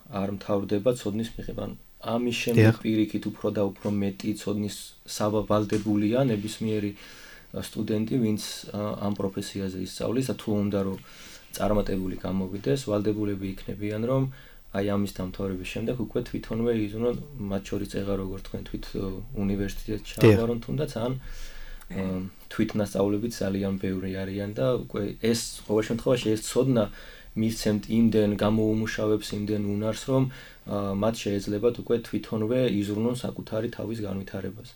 არ მთავრდება ცოდნის მიღება. ამის შემდეგ პირიქით უფრო და უფრო მეტი ცოდნის სავალდებულია ნებისმიერი სტუდენტი, ვინც ამ პროფესიაზე ისწავლის და თუ უნდა რომ წარმატებული გამოვიდეს, ვალდებულები იქნებიან, რომ აი ამის დამთავრების შემდეგ უკვე თვითონვე იზრუნონ, მათ შორის წეღა როგორც თქვენ თვით უნივერსიტეტში ჩააბარონ თუნდაც ან თვითნასწავლებიც ძალიან ბევრი არიან და უკვე ეს ყოველ შემთხვევაში ეს ცოდნა მისცემთ იმდენ გამოუმუშავებს იმდენ უნარს, რომ მათ შეეძლებათ უკვე თვითონვე იზრუნონ საკუთარი თავის განვითარებას.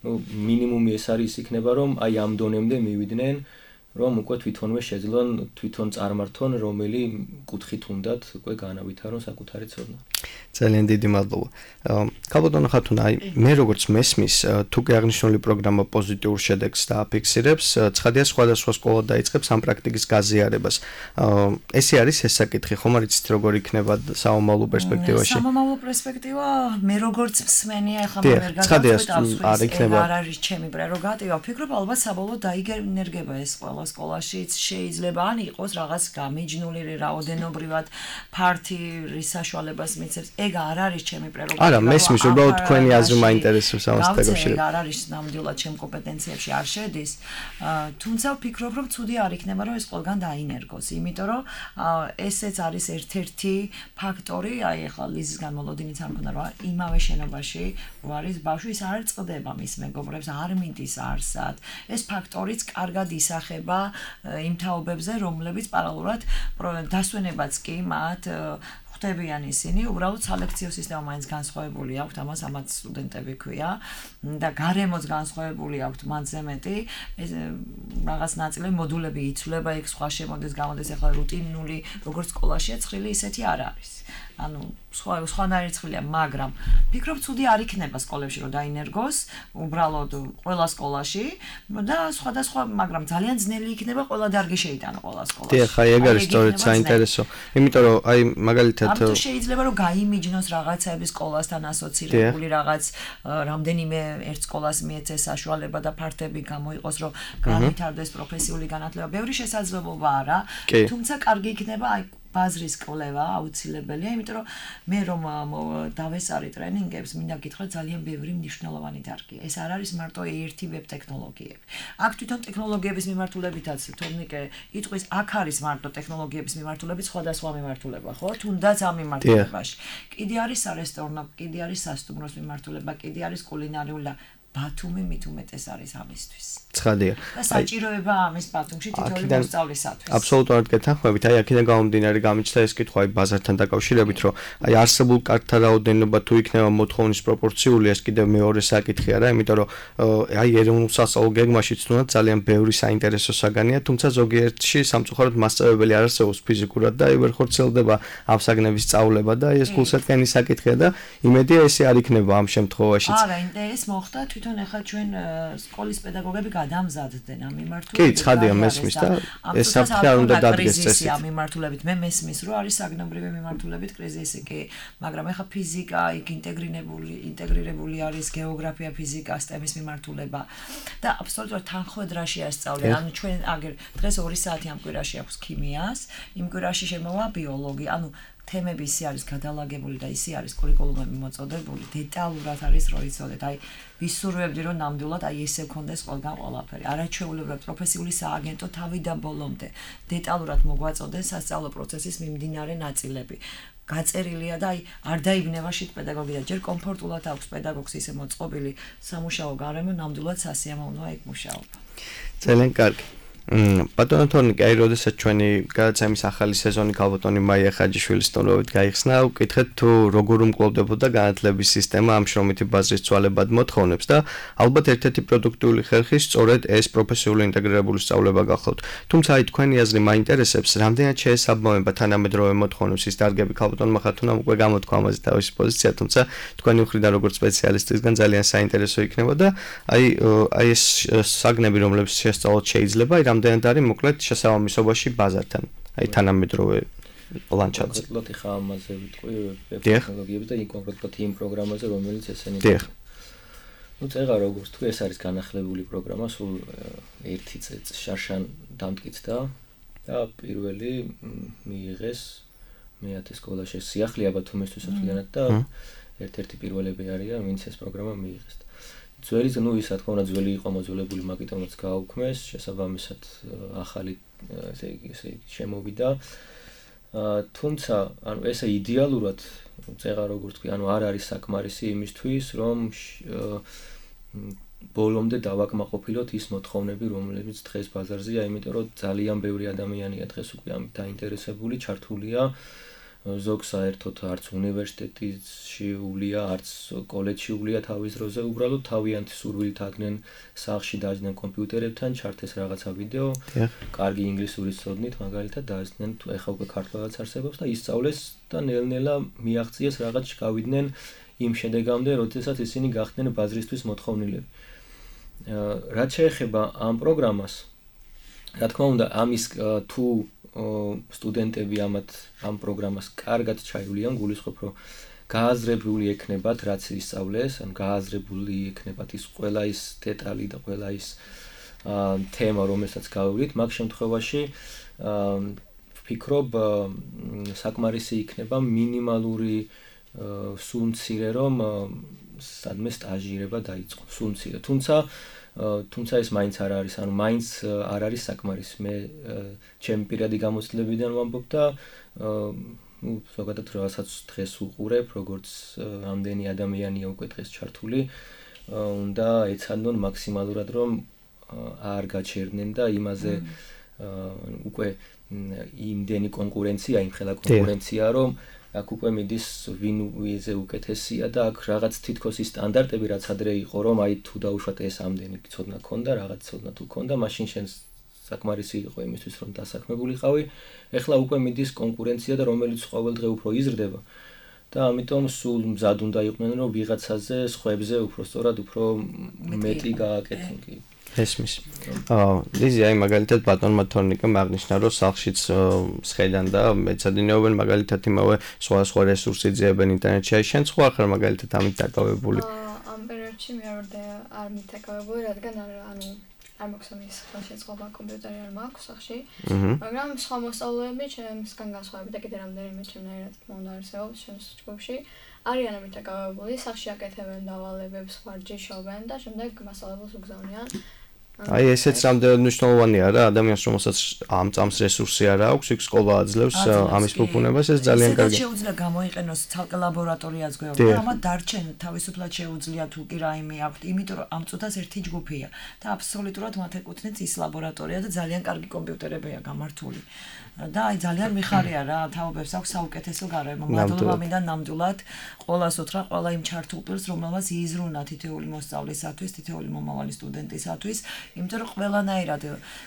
ну მინიმუმი ეს არის იქნება, რომ აი ამ დონემდე მივიდნენ, რომ უკვე თვითონვე შეძლონ თვითონ წარმართონ რომელი კუთხით უნდათ უკვე განავითარონ საკუთარი ცოდნა. ძალიან დიდი მადლობა. ქალბატონო ხათუნა, აი მე როგორც მესმის, თუ კი აღნიშნული პროგრამა პოზიტიურ შედეგს დააფიქსირებს, ცხადია სხვადასხვა სკოლა დაიწყებს ამ პრაქტიკის გაზიარებას. ესე არის ეს საკითხი, ხომ არ იცით როგორ იქნება საომალო პერსპექტივაში? საომალო პერსპექტივა მე როგორც მსმენია, ახლა მე ვერ გადავწყვეტ, არ იქნება. არ არის ჩემი პრეროგატივა. ვფიქრობ, ალბათ საბოლოოდ დაიგენერგება ეს ყველა სკოლაშიც შეიძლება ან იყოს რაღაც გამიჯნული რაოდენობრივად ფართი რის საშუალებას მიცემს. ეგ არ არის ჩემი პრეროგატივა. არა, მესმის, უბრალოდ თქვენი აზრი მაინტერესებს ამას დაკავშირებით. არ არის ნამდვილად ჩემ კომპეტენციებში არ შედის. თუმცა ვფიქრობ, რომ ცუდი არ იქნება, რომ ეს ყველგან დაინერგოს, იმიტომ რომ ესეც არის ერთ-ერთი ფაქტორი, აი ახლა ლიზის განმოლოდინიც არ მქონდა, რომ იმავე შენობაში რო არის ბავშვი, ის არ წდება მის მეგობრებს, არ მიდის არსად. ეს ფაქტორიც კარგად ისახება იმ თაობებზე, რომლებიც პარალელურად დასვენებაც კი მათ ხვდებიან ისინი, უბრალოდ სალექციო სისტემა მაინც განსხვავებული აქვს, ამას ამათ სტუდენტები ქვია და გარემოც განსხვავებული აქვს მათზე მეტი, ეს რაღაც ნაწილი მოდულები იცვლება, იქ სხვა შემოდის, გამოდის, ახლა რუტინული, როგორც სკოლაშია ცხრილი, ისეთი არ არის. ანუ სხვა სხვანაირი ცხრილია, მაგრამ ფიქრობ, ცუდი არ იქნება სკოლებში, რომ დაინერგოს, უბრალოდ ყველა სკოლაში და სხვადასხვა, მაგრამ ძალიან ძნელი იქნება ყველა დარგი შეიტანო ყველა სკოლაში. დიახ, აი ეგ არის სწორედ საინტერესო. იმიტომ რომ აი მაგალითად ამიტომ შეიძლება რომ გაიმიჯნოს რაღაცები სკოლასთან ასოცირებული რაღაც რამდენიმე ერთ სკოლას მიეცეს საშუალება და ფართები გამოიყოს, რომ განვითარდეს პროფესიული განათლება. ბევრი შესაძლებლობა არა, თუმცა კარგი იქნება აი ბაზრის კვლევა აუცილებელია, იმიტომ რომ მე რომ დავესწარი ტრენინგებს, მინდა გითხრა ძალიან ბევრი მნიშვნელოვანი დარგია. ეს არ არის მარტო ერთი ვებ ტექნოლოგიები. აქ თვითონ ტექნოლოგიების მიმართულებითაც თორნიკე იტყვის, აქ არის მარტო ტექნოლოგიების მიმართულებით სხვადასხვა მიმართულება, ხო? თუნდაც ამ მიმართულებაში. კიდე არის სარესტორნო, კიდე არის სასტუმროს მიმართულება, კიდე არის კულინარიული ბათუმი მით უმეტეს არის ამისთვის. ცხადია. და საჭიროება ამის ბათუმში თითოეული მოსწავლისათვის. აბსოლუტურად გეთანხმებით. აი აქედან გამომდინარე გამიჩნდა ეს კითხვა აი ბაზართან დაკავშირებით, რომ აი არსებულ კარტთა რაოდენობა თუ იქნება მოთხოვნის პროპორციული, ეს კიდევ მეორე საკითხი არა, იმიტომ რომ აი ეროვნულ სასწავლო გეგმაშიც თუნდაც ძალიან ბევრი საინტერესო საგანია, თუმცა ზოგიერთში სამწუხაროდ მასწავლებელი არ არსებობს ფიზიკურად და აი ვერ ხორციელდება ამ საგნების სწავლება და ეს გულსატკენის საკითხია და იმედია ესე არ იქნება ამ შემთხვევაშიც. არა, ეს მოხდა თვითონ ახლა ჩვენ სკოლის პედაგოგები გადამზადდნენ ამ მიმართულებით. კი, ცხადია მესმის და ეს საფრთხე არ უნდა დადგეს წესით. ამ მიმართულებით მე მესმის, რომ არის საგნებრივი მიმართულებით კრიზისი, კი, მაგრამ ახლა ფიზიკა, იქ ინტეგრირებული, ინტეგრირებული არის გეოგრაფია, ფიზიკა, სტემის მიმართულება და აბსოლუტურად თანხმედრაში ასწავლენ. ანუ ჩვენ აგერ დღეს ორი საათი ამ კვირაში აქვს ქიმიას, იმ კვირაში შემოვა ბიოლოგი, ანუ თემები ისე არის გადალაგებული და ისე არის კურიკულუმები მოწოდებული, დეტალურად არის რო იცოდეთ. აი ვისურვებდი რომ ნამდვილად აი ესე გქონდეს ყველგან ყველაფერი. არაჩვეულებრივად პროფესიული სააგენტო თავიდან ბოლომდე დეტალურად მოგვაწოდეს სასწავლო პროცესის მიმდინარე ნაწილები. გაწერილია და აი არ დაიბნება შეთ პედაგოგი და ჯერ კომფორტულად აქვს პედაგოგს ისე მოწყობილი სამუშაო გარემო, ნამდვილად სასიამოვნოა იქ მუშაობა. ძალიან კარგი. ბატონო თორნიკე, აი როდესაც ჩვენი გადაცემის ახალი სეზონი ქალბატონი მაია ხაჯიშვილის სტუმრობით გაიხსნა, ვკითხეთ თუ როგორ უმკლავდებოდა განათლების სისტემა ამ შრომითი ბაზრის ცვალებად მოთხოვნებს და ალბათ ერთ-ერთი პროდუქტიული ხერხი სწორედ ეს პროფესიული ინტეგრირებული სწავლება გახლავთ. თუმცა აი თქვენი აზრი მაინტერესებს, რამდენად შეესაბამება თანამედროვე მოთხოვნებს ის დარგები ქალბატონმა ხათუნამ უკვე გამოთქვა ამაზე თავისი პოზიცია, თუმცა თქვენი მხრიდან როგორც სპეციალისტისგან ძალიან საინტერესო იქნება და აი აი ეს საგნები, რომლებიც შესწავლოთ შეიძლება, აი რამდენად არის მოკლედ შესაბამისობაში ბაზართან, აი თანამედროვე ლანდშაფტზე. კონკრეტულად ხა ამაზე ვიტყვი ტექნოლოგიებზე და იმ კონკრეტულად იმ პროგრამაზე, რომელიც ესენი. დიახ. ну წეღა როგორც თქვი, ეს არის განახლებული პროგრამა, სულ ერთი წელი შარშან დამტკიცდა და პირველი მიიღეს მეათე სკოლაში სიახლეა ბათუმისთვის ერთგვარად და ერთ-ერთი პირველები არიან, ვინც ეს პროგრამა მიიღეს. ძველი ну ის რა თქმა უნდა ძველი იყო მოძველებული მაგიტომაც გააუქმეს, შესაბამისად ახალი ესე იგი ესე შემოვიდა. თუმცა ანუ ესე იდეალურად წეღა როგორც თქვი, ანუ არ არის საკმარისი იმისთვის, რომ ბოლომდე დავაკმაყოფილოთ ის მოთხოვნები, რომლებიც დღეს ბაზარზეა, იმიტომ რომ ძალიან ბევრი ადამიანია დღეს უკვე ამით დაინტერესებული, ჩართულია. ზოგ საერთოდ არც უნივერსიტეტში ულია, არც კოლეჯში ულია თავის დროზე, უბრალოდ თავიანთი სურვილით აღდნენ სახლში დააჯდნენ კომპიუტერებთან, ჩართეს რაღაცა ვიდეო, კარგი ინგლისური ცოდნით, მაგალითად დააჯდნენ, ეხლა უკვე ქართულადაც არსებობს და ისწავლეს და ნელ-ნელა მიაღწიეს რაღაც გავიდნენ იმ შედეგამდე, როდესაც ისინი გახდნენ ბაზრისთვის მოთხოვნილები. რაც შეეხება ამ პროგრამას, რა თქმა უნდა, ამის თუ სტუდენტები ამათ ამ პროგრამას კარგად ჩაივლიან, გულისხმობ, რომ გააზრებული ექნებათ, რაც ისწავლეს, ან გააზრებული ექნებათ ის ყველა ის დეტალი და ყველა ის თემა, რომელსაც გავივლით, მაგ შემთხვევაში ვფიქრობ, საკმარისი იქნება მინიმალური სულ მცირე, რომ სადმე სტაჟირება დაიწყო, სულ მცირე. თუმცა თუმცა ეს მაინც არ არის, ანუ მაინც არ არის საკმარისი. მე ჩემი პირადი გამოცდილებიდან ვამბობ და ну, ზოგადად რაღაცაც დღეს უყურებ, როგორც ამდენი ადამიანია უკვე დღეს ჩართული, უნდა ეცადონ მაქსიმალურად რომ არ გაჩერდნენ და იმაზე უკვე იმდენი კონკურენცია, იმხელა კონკურენცია, რომ აქ უკვე მიდის ვინ ვიზე უკეთესია და აქ რაღაც თითქოს ის სტანდარტები რაც ადრე იყო, რომ აი თუ დაუშვათ ეს ამდენი ცოდნა ქონდა, რაღაც ცოდნა თუ ქონდა, მაშინ შენ საკმარისი იყო იმისთვის, რომ დასაქმებულიყავი. ეხლა უკვე მიდის კონკურენცია და რომელიც ყოველდღე უფრო იზრდება. და ამიტომ სულ მზად უნდა იყვნენ, რომ ვიღაცაზე, სხვებზე უფრო სწორად, უფრო მეტი გააკეთონ კი. ესმის. აა, ლიზი, აი მაგალითად ბატონმა თორნიკემ აღნიშნა, რომ სახლშიც სხედან და მეცადინეობენ მაგალითად იმავე სხვა სხვა რესურსი ძიებენ ინტერნეტში. აი შენ სხვა ხარ მაგალითად ამით დაკავებული? ამ პერიოდში მე არ არ მითაკავებული, რადგან ანუ არ მაქვს ამის ხელშეწყობა, კომპიუტერი არ მაქვს სახლში. მაგრამ სხვა მოსწავლეები ჩემსგან განსხვავებით და კიდე რამდენიმე ჩემნაირად თქმა არსებობს ჩემს ჯგუფში. არიან ამითაკავებული, სახლში აკეთებენ დავალებებს, ვარჯიშობენ და შემდეგ მასწავლებელს უგზავნიან აი ესეც რამდენად მნიშვნელოვანია რა ადამიანს რომელსაც ამ წამს რესურსი არ აქვს იქ სკოლა აძლევს ამის ფუფუნებას ეს ძალიან კარგი შეუძლია გამოიყენოს ცალკე ლაბორატორიაც გვეუბნება ამათ დარჩენ თავისუფლად შეუძლია თუ კი რაიმე აქვთ იმიტომ რომ ამ წუთას ერთი ჯგუფია და აბსოლუტურად მათ ეკუთვნით ის ლაბორატორია და ძალიან კარგი კომპიუტერებია გამართული და აი ძალიან მიხარია რა თაობებს აქვს საუკეთესო გარემო მადლობა მინდა ნამდვილად ყველას უთხრა ყველა იმ ჩართულ პირს რომელმაც იზრუნა თითოეული მოსწავლისათვის თითოეული მომავალი სტუდენტისათვის იმიტომ რომ ყველანაირად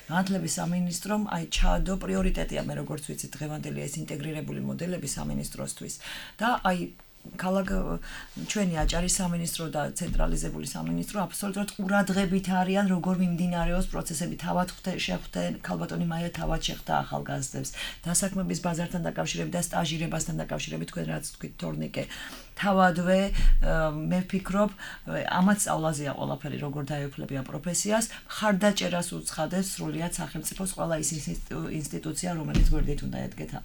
განათლების სამინისტრომ აი ჩაადო პრიორიტეტია მე როგორც ვიცი დღევანდელი ეს ინტეგრირებული მოდელები სამინისტროსთვის და აი ქალაქ ჩვენი აჭარის სამინისტრო და ცენტრალიზებული სამინისტრო აბსოლუტურად ყურადღებით არიან როგორ მიმდინარეობს პროცესები თავად შეხვდნენ ქალბატონი მაია თავად შეხვდა ახალგაზრდებს დასაქმების ბაზართან დაკავშირებით და სტაჟირებასთან დაკავშირებით თქვენ რაც თქვით თორნიკე თავადვე მე ვფიქრობ ამათ სწავლაზეა ყველაფერი როგორ დაეუფლებია პროფესიას მხარდაჭერას უცხადებს სრულიად სახელმწიფოს ყველა ის ინსტიტუცია რომელიც გვერდით უნდა ედგეთ აა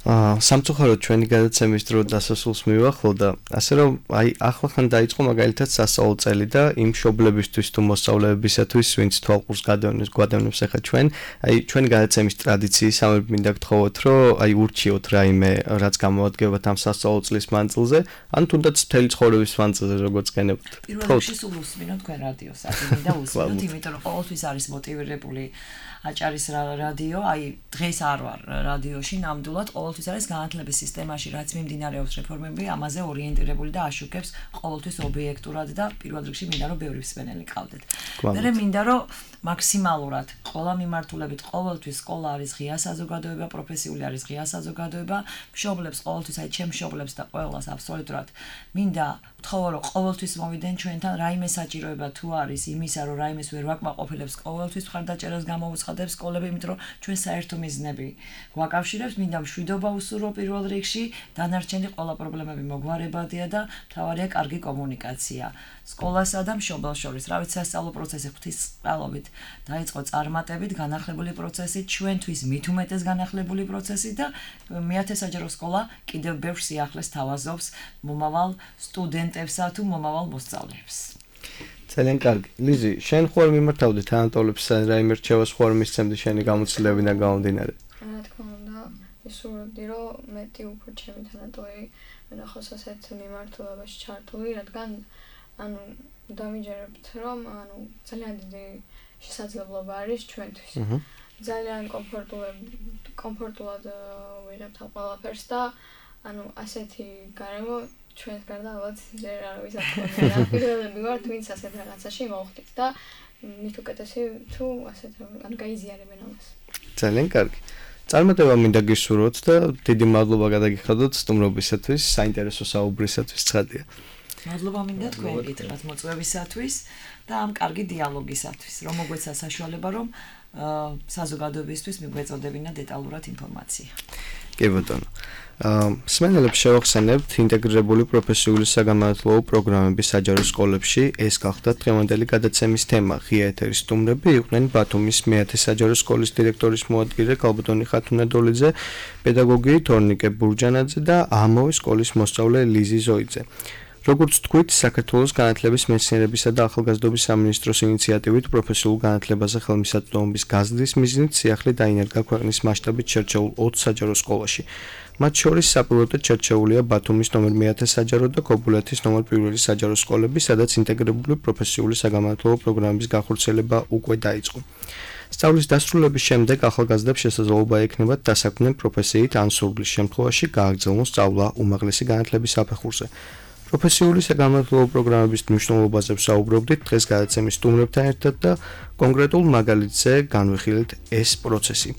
სამწუხაროდ ჩვენი გადაცემის დრო დასასრულს მივახლო და ასე რომ აი ახლახან დაიწყო მაგალითად სასწავლო წელი და იმ მშობლებისთვის თუ მოსწავლეებისათვის ვინც თვალყურს გადავნებს გვადავნებს ახლა ჩვენ აი ჩვენი გადაცემის ტრადიციის ამერ მინდა გთხოვოთ რომ აი ურჩიოთ რაიმე რაც გამოადგებათ ამ სასწავლო წლის მანძილზე ან თუნდაც მთელი ცხოვრების მანძილზე როგორც გენებთ პირველ რიგში სულ უსმინოთ თქვენ რადიოს აქ და უსმინოთ იმიტომ რომ ყოველთვის არის მოტივირებული აჭარის რადიო, აი დღეს არ ვარ რადიოში, ნამდვილად ყოველთვის არის განათლების სისტემაში, რაც მიმდინარეობს რეფორმები, ამაზე ორიენტირებული და აშუქებს ყოველთვის ობიექტურად და პირველ რიგში მინდა რომ ბევრი მსმენელი ყავდეთ. მე მინდა რომ მაქსიმალურად ყველა მიმართულებით ყოველთვის სკოლა არის ღია საზოგადოება, პროფესიული არის ღია საზოგადოება, მშობლებს ყოველთვის აი ჩემ მშობლებს და ყველას აბსოლუტურად მინდა ვთხოვო რომ ყოველთვის მოვიდნენ ჩვენთან რაიმე საჭიროება თუ არის იმისა რომ რაიმეს ვერ ვაკმაყოფილებს ყოველთვის მხარდაჭერას გამოვუცხადებს სკოლები იმიტომ რომ ჩვენ საერთო მიზნები ვაკავშირებს მინდა მშვიდობა უსურვო პირველ რიგში დანარჩენი ყველა პრობლემები მოგვარებადია და მთავარია კარგი კომუნიკაცია სკოლასა და მშობელს შორის რა ვიცი სასწავლო პროცესი ღვთის წყალობით დაიწყო წარმატებით განახლებული პროცესი ჩვენთვის მით უმეტეს განახლებული პროცესი და მეათე საჯარო სკოლა კიდევ ბევრ სიახლეს თავაზობს მომავალ სტუდენტებსა თუ მომავალ მოსწავლეებს ძალიან კარგი. ლიზი, შენ ხوار მიმართავდი თანატოლებს რაიმე რჩევას ხوار მისცემდი შენი გამოცდილებიდან გამომდინარე? რა თქმა უნდა, ისურვებდი რომ მეტი უფრო ჩემი თანატოლი ნახოს ასეთ მიმართულებაში ჩართული, რადგან ანუ დამიჯერებთ რომ ანუ ძალიან დიდი შესაძლებლობა არის ჩვენთვის. ძალიან კომფორტულად კომფორტულად ვიღებთ ამ ყველაფერს და ანუ ასეთი გარემო ჩვენს გარდა ალბათ ჯერ არავის არ ქონია. პირველები ვართ, ვინც ასეთ რაღაცაში მოვხდით და მით უკეთესი თუ ასეთ ანუ გაიზიარებენ ამას. ძალიან კარგი. წარმატება მინდა გისურვოთ და დიდი მადლობა გადაგიხადოთ სტუმრობისათვის, საინტერესო საუბრისათვის ცხადია. მადლობა მინდა თქვენ გითხრათ მოწვევისათვის და ამ კარგი დიალოგისათვის, რომ მოგვეცა საშუალება რომ საზოგადოებისთვის მიგვეწოდებინა დეტალურად ინფორმაცია. კი ბატონო. მსმენელებს შევახსენებთ ინტეგრირებული პროფესიული საგანმანათლებლო პროგრამების საჯარო სკოლებში ეს გახდა დღევანდელი გადაცემის თემა. ღია ეთერის სტუმრები იყვნენ ბათუმის მეათე საჯარო სკოლის დირექტორის მოადგილე ქალბატონი ხათუნა დოლიძე, პედაგოგი თორნიკე ბურჯანაძე და ამავე სკოლის მოსწავლე ლიზი ზოიძე. როგორც თქვით, საქართველოს განათლების მეცნიერებისა და ახალგაზრდობის სამინისტროს ინიციატივით პროფესიულ განათლებაზე ხელმისაწვდომობის გაზრდის მიზნით სიახლე დაინერგა ქვეყნის მასშტაბით შერჩეულ ოც საჯარო სკოლაში. მათ შორის საპილოტოდ შერჩეულია ბათუმის ნომერ მეათე საჯარო და ქობულეთის ნომერ პირველი საჯარო სკოლები, სადაც ინტეგრირებული პროფესიული საგანმანათლებლო პროგრამების განხორციელება უკვე დაიწყო. სწავლის დასრულების შემდეგ ახალგაზრდებს შესაძლებლობა ექნებათ დასაქმდნენ პროფესიით ან სურვილის შემთხვევაში გააგრძელონ სწავლა უმაღლესი განათლების საფეხურზე. პროფესიული საგანმანათლებლო პროგრამების მნიშვნელობაზე ვსაუბრობდით დღეს გადაცემის სტუმრებთან ერთად და კონკრეტულ მაგალითზე განვიხილეთ ეს პროცესი.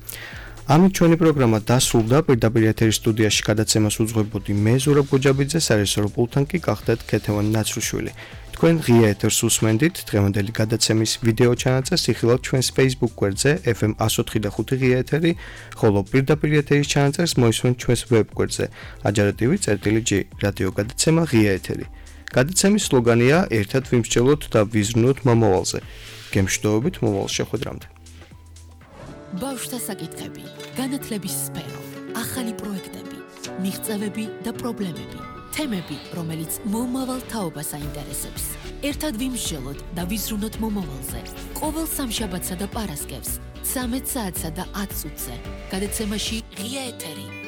ამით ჩვენი პროგრამა დასრულდა. პირდაპირ ეთერის სტუდიაში გადაცემას უძღვებოდი მე ზურაბ გოჯაბიძე, სარეჟისორო პულტთან კი გახდათ ქეთევან ნაცრუშვილი. თქვენ ღია ეთერს უსმენდით. დღევანდელი გადაცემის ვიდეო ჩანაწერს იხილავთ ჩვენს Facebook გვერდზე ეფ ემ one oh three point five ღია ეთერი, ხოლო პირდაპირ ეთერის ჩანაწერს მოისმენთ ჩვენს ვებ გვერდზე ajarativi წერტილი ჯი რადიო გადაცემა ღია ეთერი. გადაცემის სლოგანია ერთად ვიმსჯელოთ და ვიზრუნოთ მომავალზე. გემშვიდობებით მომავალ შეხვედრამდე. ბავშვთა საკითხები, განათლების სფერო, ახალი პროექტები, მიღწევები და პრობლემები. თემები, რომელიც მომავალ თაობას აინტერესებს. ერთად ვიმსჯელოთ და ვიზრუნოთ მომავალზე. ყოველ სამშაბათსა და პარასკევს, ცამეტ საათსა და ათ წუთზე. გადაცემაში ღია ეთერი.